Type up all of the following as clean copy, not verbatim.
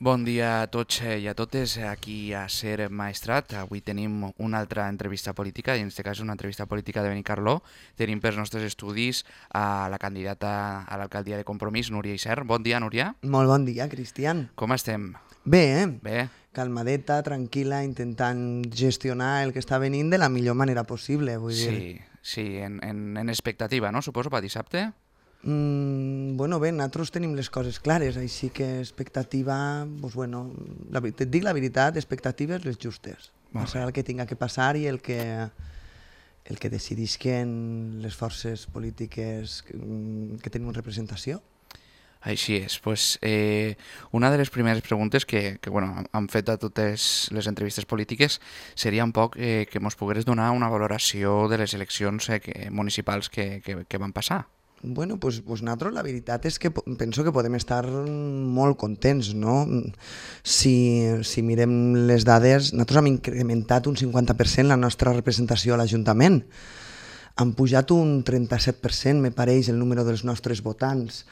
Bon dia a tots i a totes aquí a Ser Maestrat. Avui tenim una altra entrevista política, i en aquest cas una entrevista política de Benicarló. Tenim pels nostres estudis a la candidata a l'alcaldia de Compromís, Núria Isern. Bon dia, Núria. Molt bon dia, Cristian. Com estem? Bé, Bé? calmadeta, tranquil·la, intentant gestionar el que està venint de la millor manera possible, vull dir. Sí, en expectativa, no? Suposo, per dissabte? Bueno, bé, nosaltres tenim les coses clares, així que expectativa, doncs bueno, et dic la veritat, expectatives les justes. Passarà el que tinga que passar i el que decidisquen les forces polítiques que tenim representació. Així és. Pues, una de les primeres preguntes que han fet a totes les entrevistes polítiques seria un poc que ens pogués donar una valoració de les eleccions municipals que van passar. Bueno, pues nosaltres la veritat és que penso que podem estar molt contents, no? Si mirem les dades, nosaltres hem incrementat un 50% la nostra representació a l'Ajuntament. Han pujat un 37%, me pareix, el número dels nostres votants.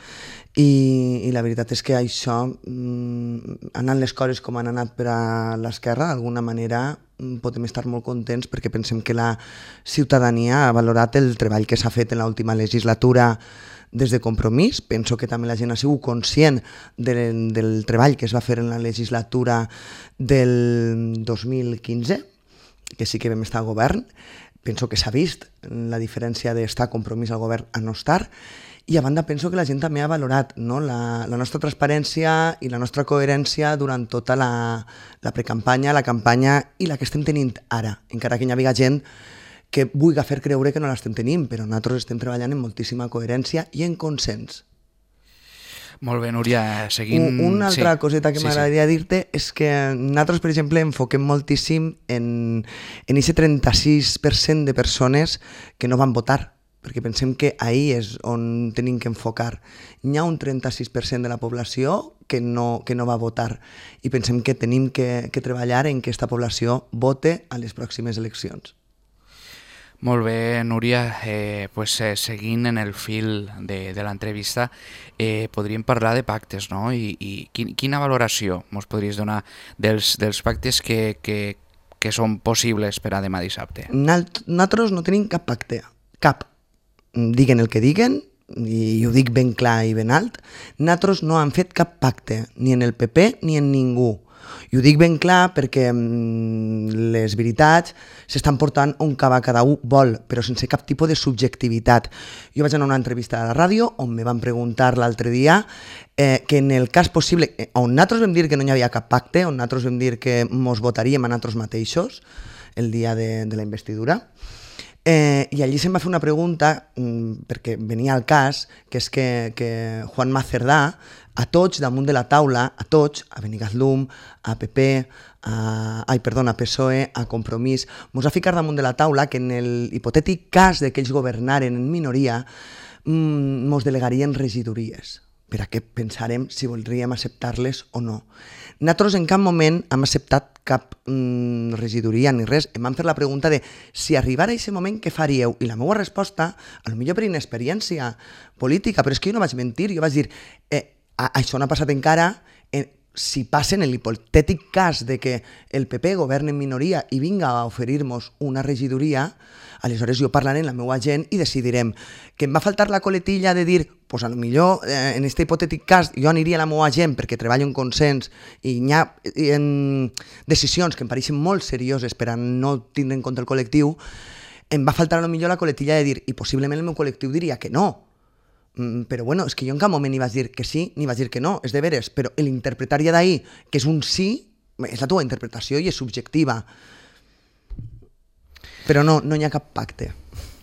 I la veritat és que això, anant les coses com han anat per a l'esquerra, d'alguna manera podem estar molt contents perquè pensem que la ciutadania ha valorat el treball que s'ha fet en l'última legislatura des de Compromís. Penso que també la gent ha sigut conscient del treball que es va fer en la legislatura del 2015, que sí que vam estar al govern. Penso que s'ha vist la diferència d'estar a Compromís al govern a no estar. I a banda penso que la gent també ha valorat, no, la nostra transparència i la nostra coherència durant tota la precampanya, la campanya i la que estem tenint ara. Encara que hi havia gent que vulgui fer creure que no l'estem tenint, però nosaltres estem treballant amb moltíssima coherència i en consens. Molt bé, Núria, seguint... Una altra coseta que m'agradaria dir-te és que nosaltres, per exemple, enfoquem moltíssim en aquest 36% de persones que no van votar, perquè pensem que ahí és on tenim que enfocar. Hi ha un 36% de la població que no va votar i pensem que tenim que treballar en que aquesta població vote a les pròximes eleccions. Molt bé, Núria, seguint en el fil de l'entrevista, podríem parlar de pactes, no? I quina valoració ens podries donar dels pactes que són possibles per a demà dissabte? Nosaltres no tenim cap pacte, cap. Diguen el que diguen, i ho dic ben clar i ben alt, nosaltres no hem fet cap pacte, ni en el PP ni en ningú. I ho dic ben clar perquè les veritats s'estan portant on cada un vol, però sense cap tipus de subjectivitat. Jo vaig anar a una entrevista a la ràdio on me van preguntar l'altre dia que en el cas possible, on nosaltres vam dir que no hi havia cap pacte, on nosaltres vam dir que ens votaríem a nosaltres mateixos el dia de la investidura, i allí se'm va fer una pregunta perquè venia al cas, que és que Juanma Cerdà a tots damunt de la taula, a tots, a Benicarló, a PP, a PSOE, a Compromís, ens va ficar damunt de la taula que en el hipotètic cas de que ells governaren en minoria ens delegarien regidories, per a què pensarem si voldríem acceptar-les o no. Nosaltres en cap moment hem acceptat cap regidoria ni res. Em van fer la pregunta de si arribara a aquest moment què faríeu? I la meva resposta, potser per inexperiència política, però és que jo no vaig mentir, jo vaig dir això no ha passat encara, si passa en l'hipotètic cas de que el PP governi en minoria i vinga a oferir-nos una regidoria, aleshores jo parlaré amb la meva gent i decidirem. Que em va faltar la coletilla de dir, doncs potser en aquest hipotètic cas jo aniria a la meva gent perquè treballo en consens i hi ha decisions que em pareixen molt serioses per a no tindre en compte el col·lectiu, em va faltar potser la coletilla de dir, i possiblement el meu col·lectiu diria que no. Però bueno, és que jo en cap moment ni vaig dir que sí ni vaig dir que no, és de veres, però l'interpretar ja d'ahir que és un sí, és la teva interpretació i és subjectiva. Però no hi ha cap pacte.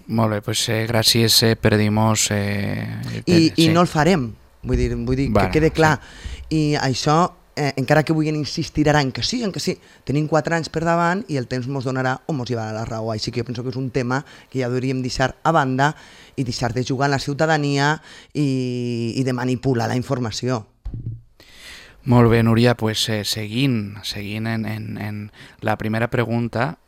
Molt bé, doncs gràcies per dir-nos... I no el farem, vull dir que quede clar. I això, encara que vulguin insistir ara en que sí, tenim 4 anys per davant i el temps ens donarà o ens llevarà la raó. Així que jo penso que és un tema que ja hauríem deixar a banda i deixar de jugar en la ciutadania i de manipular la informació. Molt bé, Núria, doncs seguint en la primera pregunta,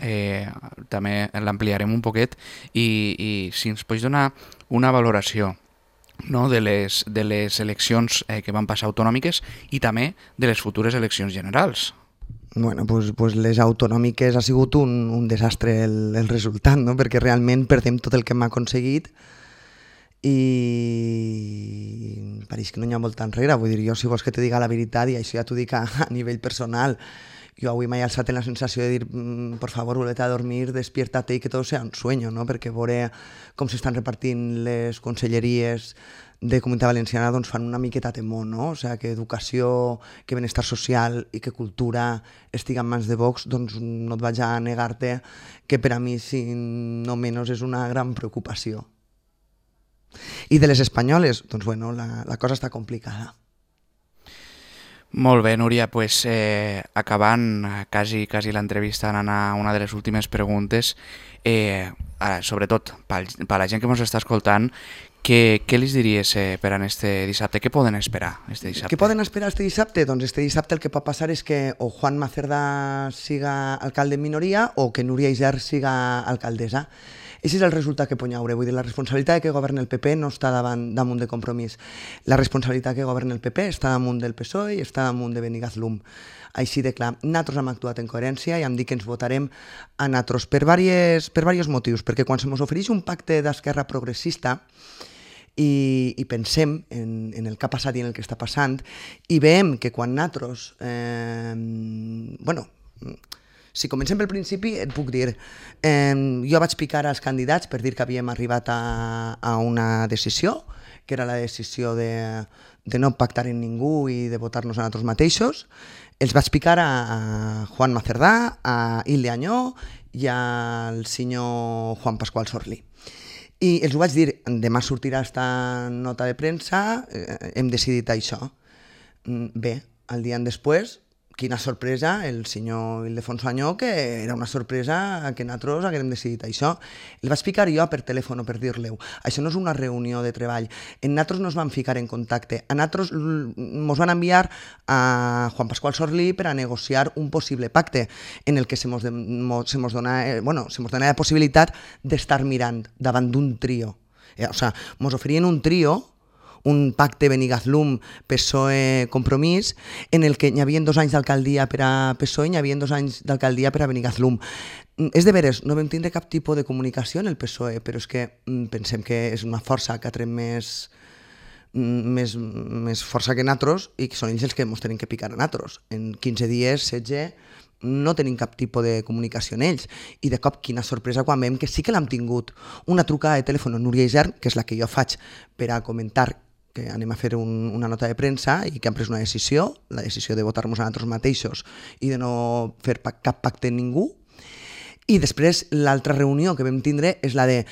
també l'ampliarem un poquet i si ens pots donar una valoració no, de les eleccions que van passar autonòmiques i també de les futures eleccions generals. Bueno, pues les autonòmiques ha sigut un desastre el resultat, no? Perquè realment perdem tot el que hem aconseguit i pareix que no hi ha volta enrere. Vull dir, jo si vols que te diga la veritat, i això ja t'ho dic a nivell personal, jo avui m'he alçat en la sensació de dir por favor, volete a dormir, despiértate i que tot sea un sueño, no? Perquè veure com s'estan repartint les conselleries de Comunitat Valenciana doncs fan una miqueta temor, no? O sigui, que educació, que benestar social i que cultura estigui en mans de Vox, doncs no et vaig a negar-te que per a mi, si no menys, és una gran preocupació. I de les espanyoles, doncs bueno, la cosa està complicada. Molt bé, Núria, pues, acabant quasi l'entrevista, anant a una de les últimes preguntes, sobretot per la gent que ens està escoltant, què els diries per a este dissabte? Què poden esperar este dissabte? Què poden esperar este dissabte? Doncs este dissabte el que pot passar és que o Juan Macerdà siga alcalde en minoria o que Núria Isern siga alcaldessa. Aquest és el resultat que pot haure. Vull dir, la responsabilitat que governa el PP no està damunt de Compromís. La responsabilitat que governa el PP està damunt del PSOE i està damunt de Benigazlum. Així de clar, nosaltres hem actuat en coherència i hem dit que ens votarem a nosaltres per diversos motius, perquè quan se ens ofereix un pacte d'esquerra progressista i pensem en el que ha passat i en el que està passant i veiem que quan nosaltres si comencem pel principi, et puc dir, jo vaig picar als candidats per dir que havíem arribat a una decisió, que era la decisió de no pactar amb ningú i de votar-nos a nosaltres mateixos. Els vaig picar a Juan Macerdà, a Hilde Añó i al senyor Juan Pascual Sorlí. I els ho vaig dir, demà sortirà esta nota de premsa, hem decidit això. Bé, el dia després, quina sorpresa, el senyor Ildefonso Añó, que era una sorpresa que nosaltres haguem decidit això. El vaig ficar jo per telèfon per dir-li, això no és una reunió de treball, nosaltres no ens vam ficar en contacte, a nosaltres ens van enviar a Juan Pascual Sorlí per a negociar un possible pacte en el que se mos dona la possibilitat d'estar mirant davant d'un trio. O sigui, ens oferien un trio, un pacte Benigazlum, PSOE, Compromís, en el que hi havia 2 anys d'alcaldia per a PSOE i hi havia 2 anys d'alcaldia per a Benigazlum. És de veres, no vam tindre cap tipus de comunicació en el PSOE, però és que pensem que és una força que ha tret més força que nosaltres i que són ells els que ens tenen que picar a nosaltres. En 15 dies, 16, no tenim cap tipus de comunicació en ells. I de cop, quina sorpresa quan veiem que sí que l'hem tingut. Una trucada de telèfon a Núria Isern, que és la que jo faig per a comentar que anem a fer una nota de premsa i que han pres una decisió, la decisió de votar-nos a nosaltres mateixos i de no fer cap pacte amb ningú. I després l'altra reunió que vam tindre és la de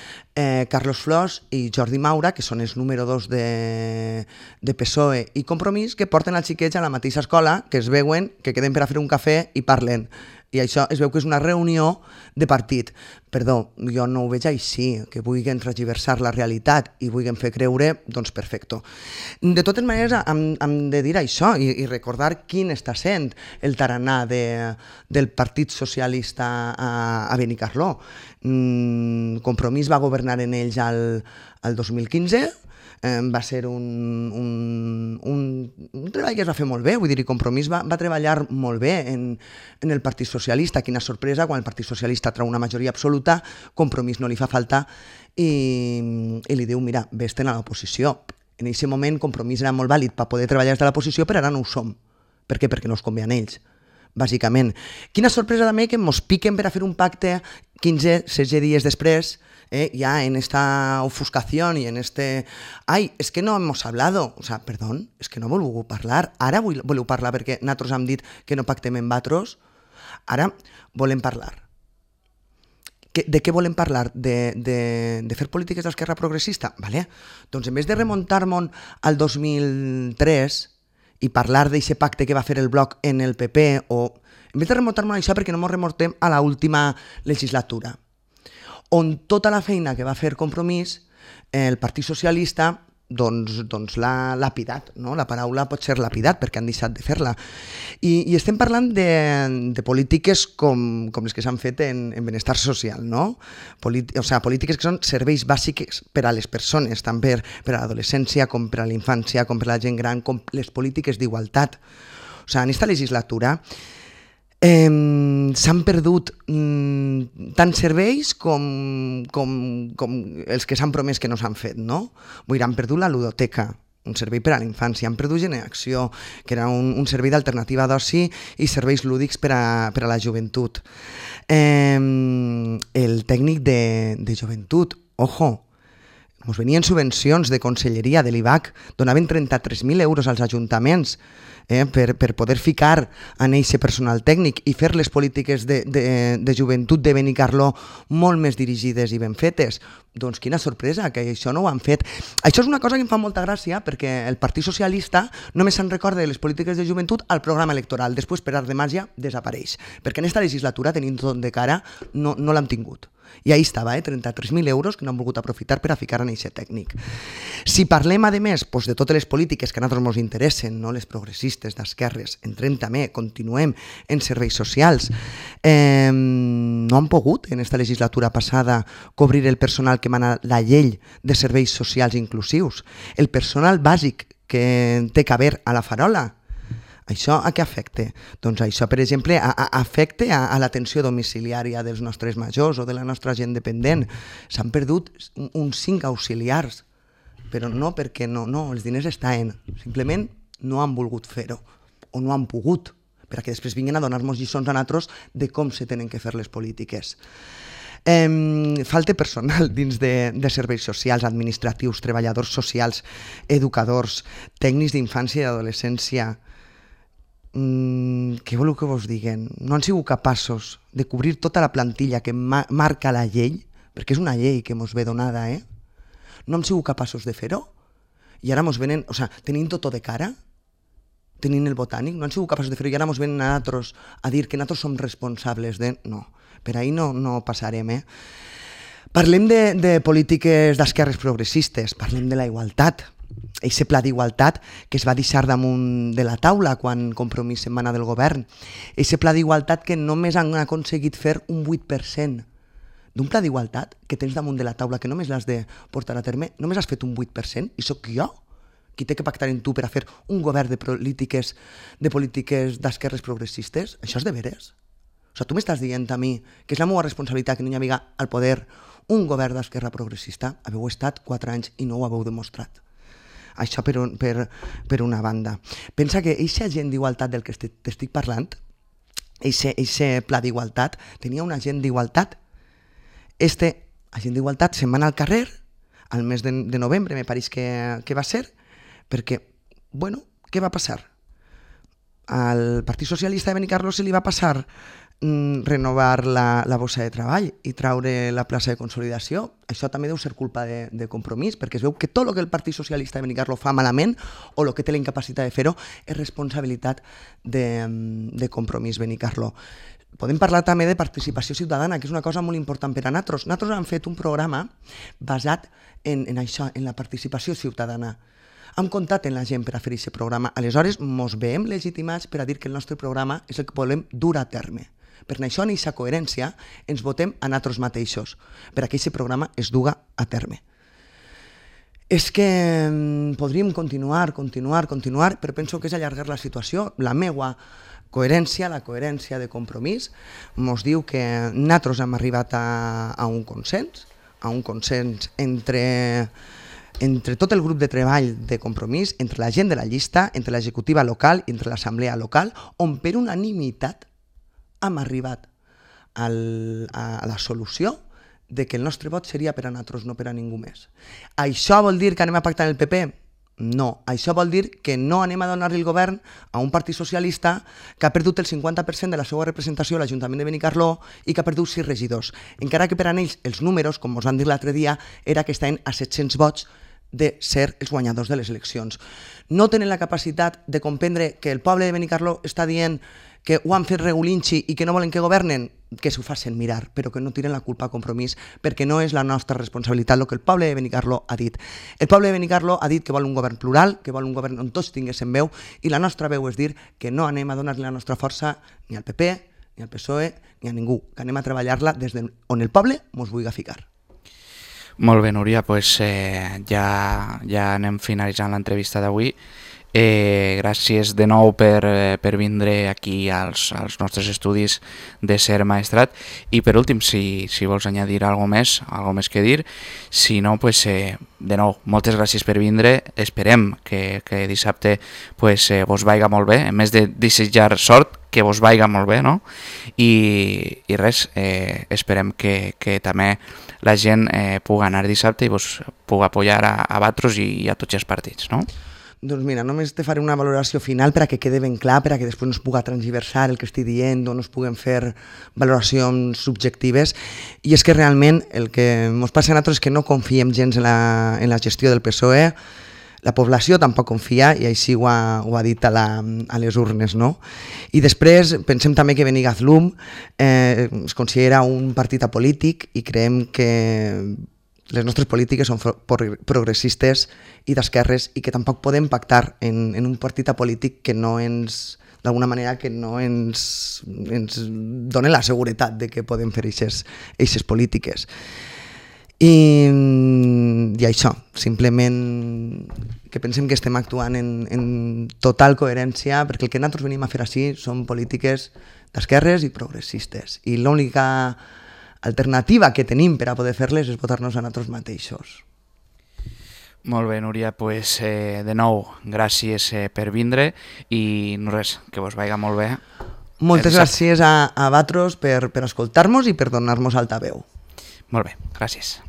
Carlos Flors i Jordi Maura, que són els número 2 de PSOE i Compromís, que porten els xiquets a la mateixa escola, que es veuen, que queden per a fer un cafè i parlen. I això es veu que és una reunió de partit. Perdó, jo no ho veig així, que vulguin transversar la realitat i vulguin fer creure, doncs perfecto. De totes maneres, hem de dir això i recordar quin està sent el tarannà del Partit Socialista a Benicarló. Compromís va governar en ells al 2015, va ser un treball que es va fer molt bé, vull dir, i Compromís va treballar molt bé en el Partit Socialista. Quina sorpresa, quan el Partit Socialista treu una majoria absoluta, Compromís no li fa falta i li diu, mira, vés-te'n a l'oposició. En aquest moment Compromís era molt vàlid per poder treballar des de l'oposició, però ara no ho som. Per què? Perquè no es convé a ells, bàsicament. Quina sorpresa també que ens piquen per a fer un pacte 15-16 dies després, ya en esta ofuscación y en este... Ai, és que no hemos hablado. O sea, perdón, és que no voleu parlar. Ara voleu parlar perquè nosaltres hem dit que no pactem amb vosaltres. Ara volem parlar. De què volem parlar? De fer polítiques d'esquerra progressista? Vale. Doncs en vez de remuntar-nos al 2003 i parlar d'aquest pacte que va fer el Bloc en el PP, o en vez de remuntar-nos a això, perquè no ens remuntem a l'última legislatura, on tota la feina que va fer Compromís, el Partit Socialista doncs l'ha lapidat, no? La paraula pot ser lapidat perquè han deixat de fer-la. I estem parlant de polítiques com les que s'han fet en benestar social, no? Polítiques que són serveis bàsics per a les persones, tant per a l'adolescència com per a la infància, com per a la gent gran, com les polítiques d'igualtat. En aquesta legislatura s'han perdut tants serveis com els que s'han promès que no s'han fet, no? Vull dir, han perdut la ludoteca, un servei per a la infància, han perdut Generació, que era un servei d'alternativa d'oci i serveis lúdics per a la joventut. El tècnic de joventut, ojo, ens venien subvencions de conselleria de l'IVAC, donaven 33.000 euros als ajuntaments per poder ficar en eixe personal tècnic i fer les polítiques de joventut de Benicarló molt més dirigides i ben fetes. Doncs quina sorpresa, que això no ho han fet. Això és una cosa que em fa molta gràcia perquè el Partit Socialista només se'n recorda de les polítiques de joventut al programa electoral, després per art de màgia desapareix, perquè en esta legislatura, tenint tot de cara, no l'hem tingut. I ahí estava, 33.000 euros que no han volgut aprofitar per a ficar en eixe tècnic. Si parlem, a més, de totes les polítiques que a nosaltres ens interessen, no les progressistes d'esquerres, entrem també, continuem en serveis socials, no han pogut en esta legislatura passada cobrir el personal que mana la llei de serveis socials inclusius, el personal bàsic que té que haver a la farola. Això a què afecta? Doncs això, per exemple, afecta a l'atenció domiciliària dels nostres majors o de la nostra gent dependent. S'han perdut uns 5 auxiliars, però no perquè no, els diners estan, simplement no han volgut fer-ho o no han pogut, perquè després vinguin a donar-nos lliçons a nosaltres de com se tenen que fer les polítiques. Falta personal dins de serveis socials, administratius, treballadors socials, educadors, tècnics d'infància i adolescència. Què voleu que vos diguen? No han sigut capaços de cobrir tota la plantilla que marca la llei, perquè és una llei que mos ve donada, no hem sigut capaços de fer-ho, i ara mos venen, tenint tot de cara, tenint el botànic, no han sigut capaços de fer-ho, i ara mos venen a nosaltres a dir que nosaltres som responsables de... No, per ahí no passarem, Parlem de polítiques d'esquerres progressistes, parlem de la igualtat. Eixe pla d'igualtat que es va deixar damunt de la taula quan Compromís se'n va anar del govern. Eixe pla d'igualtat que només han aconseguit fer un 8%. D'un pla d'igualtat que tens damunt de la taula que només l'has de portar a terme, només has fet un 8%, i sóc jo qui té que pactar amb tu per a fer un govern de polítiques d'esquerres progressistes. Això és de veres. Tu m'estàs dient a mi que és la meva responsabilitat que no hi havia al poder un govern d'esquerra progressista? Haveu estat 4 anys i no ho haveu demostrat. Això per una banda. Pensa que eixa agent d'igualtat del que t'estic parlant, eixe pla d'igualtat, tenia un agent d'igualtat. Este agent d'igualtat se'n va anar al carrer al mes de novembre, me pareix que va ser, perquè, què va passar? Al Partit Socialista de Benicarló se li va passar renovar la bossa de treball i traure la plaça de consolidació. Això també deu ser culpa de Compromís, perquè es veu que tot el que el Partit Socialista de Benicarló fa malament o el que té la incapacitat de fer-ho és responsabilitat de Compromís Benicarló. Podem parlar també de participació ciutadana, que és una cosa molt important per a nosaltres. Nosaltres hem fet un programa basat en això, en la participació ciutadana. Hem comptat en la gent per a fer aquest programa. Aleshores, ens veiem legitimats per a dir que el nostre programa és el que volem dur a terme. Per això, en aquesta coherència, ens votem a nosaltres mateixos, per a que aquest programa es duga a terme. És que podríem continuar, però penso que és allargar la situació. La meva coherència, la coherència de Compromís, ens diu que nosaltres hem arribat a un consens entre tot el grup de treball de Compromís, entre la gent de la llista, entre l'executiva local i entre l'assemblea local, on per unanimitat hem arribat a la solució de que el nostre vot seria per a nosaltres, no per a ningú més. Això vol dir que anem a pactar amb el PP? No. Això vol dir que no anem a donar-li el govern a un partit socialista que ha perdut el 50% de la seva representació a l'Ajuntament de Benicarló i que ha perdut 6 regidors. Encara que per a ells els números, com us van dir l'altre dia, era que estaven a 700 vots de ser els guanyadors de les eleccions. No tenen la capacitat de comprendre que el poble de Benicarló està dient que ho han fet regulinxi i que no volen que governen, que s'ho facin mirar, però que no tiren la culpa a Compromís, perquè no és la nostra responsabilitat el que el poble de Benicarló ha dit. El poble de Benicarló ha dit que vol un govern plural, que vol un govern on tots tinguessin veu, i la nostra veu és dir que no anem a donar-li la nostra força ni al PP, ni al PSOE, ni a ningú, que anem a treballar-la des on el poble mos vulgui ficar. Molt bé, Núria, doncs ja anem finalitzant l'entrevista d'avui. Gràcies de nou per vindre aquí als nostres estudis de Ser Maestrat, i per últim, si vols añadir alguna més que dir, si no, de nou, moltes gràcies per vindre, esperem que dissabte vos vaiga molt bé, a més de desitjar sort, que vos vaiga molt bé, no? I res, esperem que també la gent pugui anar dissabte i vos pugui apoyar a vosaltres i a tots els partits, no? Doncs mira, només te faré una valoració final per a que quede ben clar, per a que després no es pugui transversar el que estic dient o no es puguen fer valoracions subjectives. I és que realment el que ens passa a nosaltres és que no confiem gens en la gestió del PSOE, la població tampoc confia, i així ho ha dit a les urnes, no? I després pensem també que Benigazlum es considera un partit apolític i creiem que les nostres polítiques són progressistes i d'esquerres i que tampoc podem pactar en un partit apolític que no ens, d'alguna manera, que no ens dona la seguretat de que podem fer aquestes polítiques. I això, simplement que pensem que estem actuant en total coherència, perquè el que nosaltres venim a fer així són polítiques d'esquerres i progressistes, i l'única alternativa que tenim per a poder fer-les és votar-nos a nosaltres mateixos. Molt bé, Núria, doncs de nou, gràcies per vindre i no res, que vos vaiga molt bé. Moltes gràcies a vosaltres per escoltar-nos i per donar-nos altaveu. Molt bé, gràcies.